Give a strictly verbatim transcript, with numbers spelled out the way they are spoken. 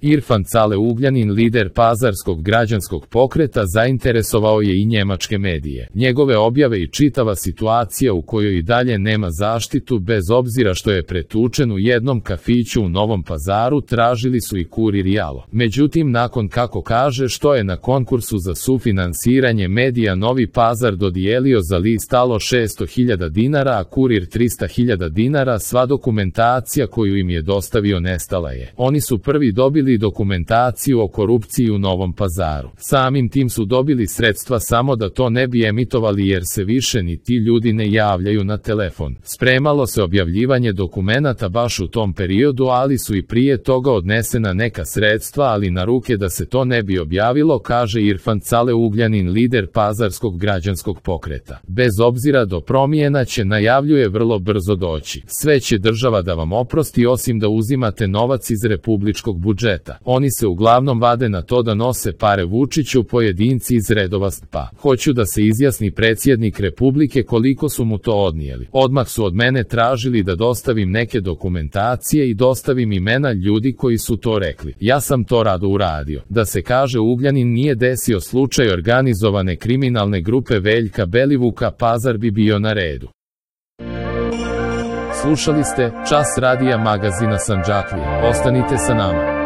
Irfan Cale Ugljanin, lider pazarskog građanskog pokreta, zainteresovao je i njemačke medije. Njegove objave i čitava situacija u kojoj i dalje nema zaštitu bez obzira što je pretučen u jednom kafiću u Novom Pazaru tražili su i Kurir i Alo. Međutim, nakon, kako kaže, što je na konkursu za sufinansiranje medija Novi Pazar dodijelio za list Alo šesto hiljada dinara, a Kurir trista hiljada dinara, sva dokumentacija koju im je dostavio nestala je. Oni su prvi dobili dokumentaciju o korupciji u Novom Pazaru. Samim tim su dobili sredstva samo da to ne bi emitovali jer se više ni ti ljudi ne javljaju na telefon. Spremalo se objavljivanje dokumenata baš u tom periodu, ali su i prije toga odnesena neka sredstva, ali na ruke da se to ne bi objavilo, kaže Irfan Cale Ugljanin, lider pazarskog građanskog pokreta. Bez obzira do promjena će, najavljuje, vrlo brzo doći. Sve će država da vam oprosti osim da uzimate novac iz republičkog budžeta. Oni se uglavnom vade na to da nose pare Vučiću, pojedinci iz redova S T P-a. Hoću da se izjasni predsjednik Republike koliko su mu to odnijeli. Odmah su od mene tražili da dostavim neke dokumentacije i dostavim imena ljudi koji su to rekli. Ja sam to rado uradio. Da se kaže, Ugljanin nije desio slučaj organizovane kriminalne grupe Veljka Belivuka, Pazar bi bio na redu. Slušali ste Čas radija magazina Sandžaklija. Ostanite sa nama.